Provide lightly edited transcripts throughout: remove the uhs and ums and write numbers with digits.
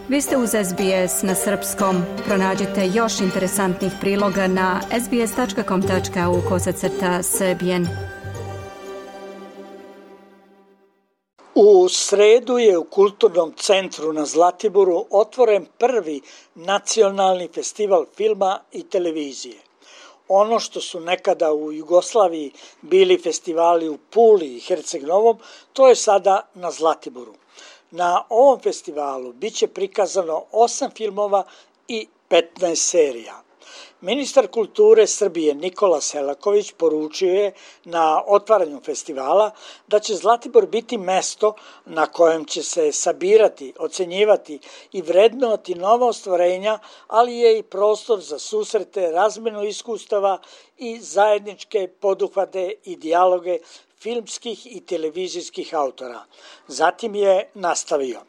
Vi ste uz SBS na srpskom. Pronađite još interesantnih priloga na sbs.com.au/srbijen. U sredu je u Kulturnom centru na Zlatiboru otvoren prvi nacionalni festival filma i televizije. Ono što su nekada u Jugoslaviji bili festivali u Puli i Herceg-Novom, to je sada na Zlatiboru. Na ovom festivalu biće prikazano 8 filmova i 15 serija. Ministar kulture Srbije Nikola Selaković poručio je na otvaranju festivala da će Zlatibor biti mesto na kojem će se sabirati, ocenjivati i vrednovati nova ostvarenja, ali je i prostor za susrete, razmenu iskustava i zajedničke poduhvate i dijaloge filmskih i televizijskih autora. Zatim je nastavio.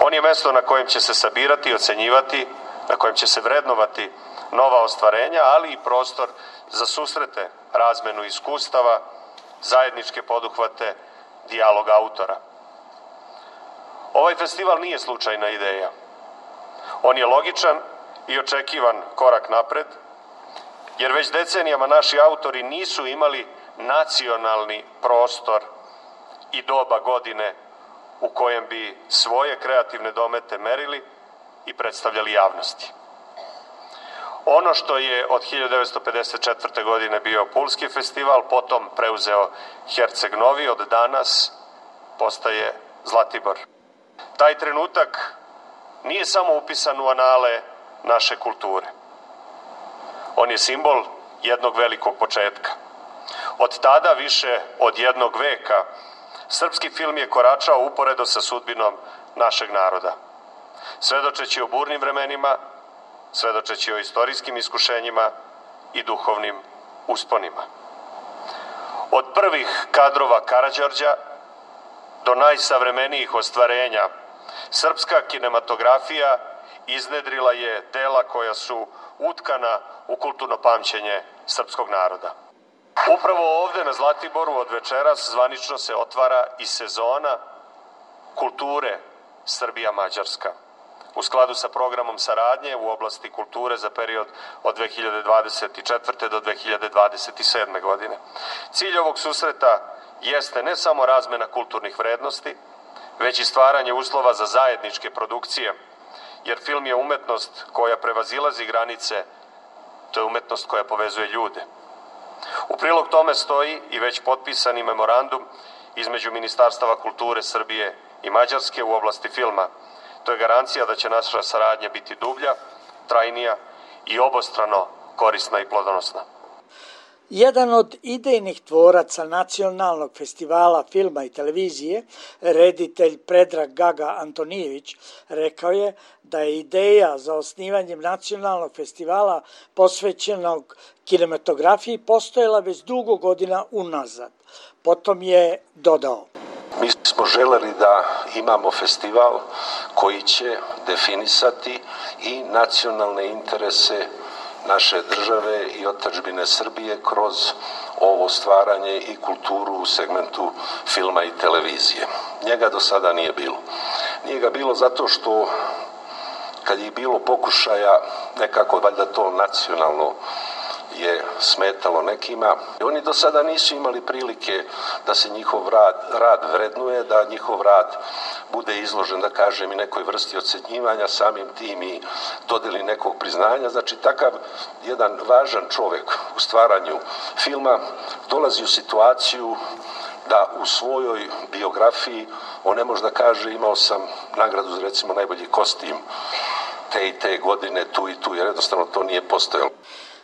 On je mesto na kojem će se sabirati, ocenjivati, na kojem će se vrednovati nova ostvarenja, ali i prostor za susrete, razmenu iskustava, zajedničke poduhvate, dijalog autora. Ovaj festival nije slučajna ideja. On je logičan i očekivan korak napred, jer već decenijama naši autori nisu imali nacionalni prostor i doba godine u kojem bi svoje kreativne domete merili i predstavljali javnosti. Ono što je od 1954. godine bio Pulski festival, potom preuzeo Herceg-Novi, od danas postaje Zlatibor. Taj trenutak nije samo upisan u anale naše kulture. On je simbol jednog velikog početka. Od tada, više od jednog veka, srpski film je koračao uporedo sa sudbinom našeg naroda. Svedočeći o burnim vremenima, svedočeći o istorijskim iskušenjima i duhovnim usponima. Od prvih kadrova Karađorđa do najsavremenijih ostvarenja, srpska kinematografija iznedrila je dela koja su utkana u kulturno pamćenje srpskog naroda. Upravo ovde na Zlatiboru od večeras zvanično se otvara i sezona kulture Srbija-Mađarska, u skladu sa programom saradnje u oblasti kulture za period od 2024. do 2027. godine. Cilj ovog susreta jeste ne samo razmena kulturnih vrednosti, već i stvaranje uslova za zajedničke produkcije, jer film je umetnost koja prevazilazi granice, to je umetnost koja povezuje ljude. U prilog tome stoji i već potpisani memorandum između Ministarstava kulture Srbije i Mađarske u oblasti filma. To je garancija da će naša saradnja biti dublja, trajnija i obostrano korisna i plodonosna. Jedan od idejnih tvoraca Nacionalnog festivala filma i televizije, reditelj Predrag Gaga Antonijević, rekao je da je ideja za osnivanjem Nacionalnog festivala posvećenog kinematografiji postojala već dugo godina unazad. Potom je dodao. Mi smo želeli da imamo festival koji će definisati i nacionalne interese naše države i otadžbine Srbije kroz ovo stvaranje i kulturu u segmentu filma i televizije. Njega do sada nije bilo. Nije ga bilo zato što kad je bilo pokušaja nekako valjda to nacionalno je smetalo nekima. Oni do sada nisu imali prilike da se njihov rad vrednuje, da njihov rad bude izložen, da kažem, i nekoj vrsti ocenjivanja, samim tim i dodeli nekog priznanja. Znači, takav jedan važan čovjek u stvaranju filma dolazi u situaciju da u svojoj biografiji on ne može da kaže imao sam nagradu za recimo najbolji kostim te i te godine tu i tu, jer jednostavno to nije postojalo.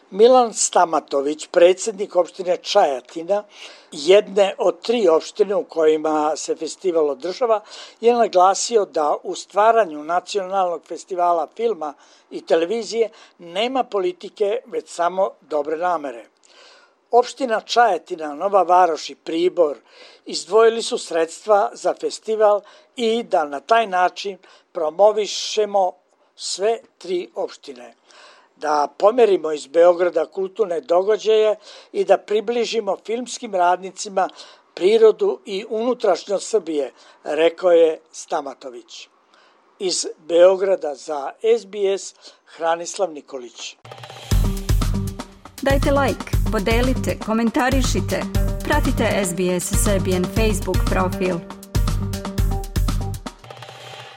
Milan Stamatović, predsjednik opštine Čajetina, jedne od 3 opštine u kojima se festival održava, je naglasio da u stvaranju Nacionalnog festivala filma i televizije nema politike, već samo dobre namere. Opština Čajetina, Nova Varoš i Pribor izdvojili su sredstva za festival i da na taj način promovišemo sve 3 opštine. Da pomerimo iz Beograda kulturne događaje i da približimo filmskim radnicima prirodu i unutrašnjost Srbije, rekao je Stamatović. Iz Beograda za SBS Hranislav Nikolić. Dajte like, podelite, komentarišite, pratite SBS Serbian Facebook profil.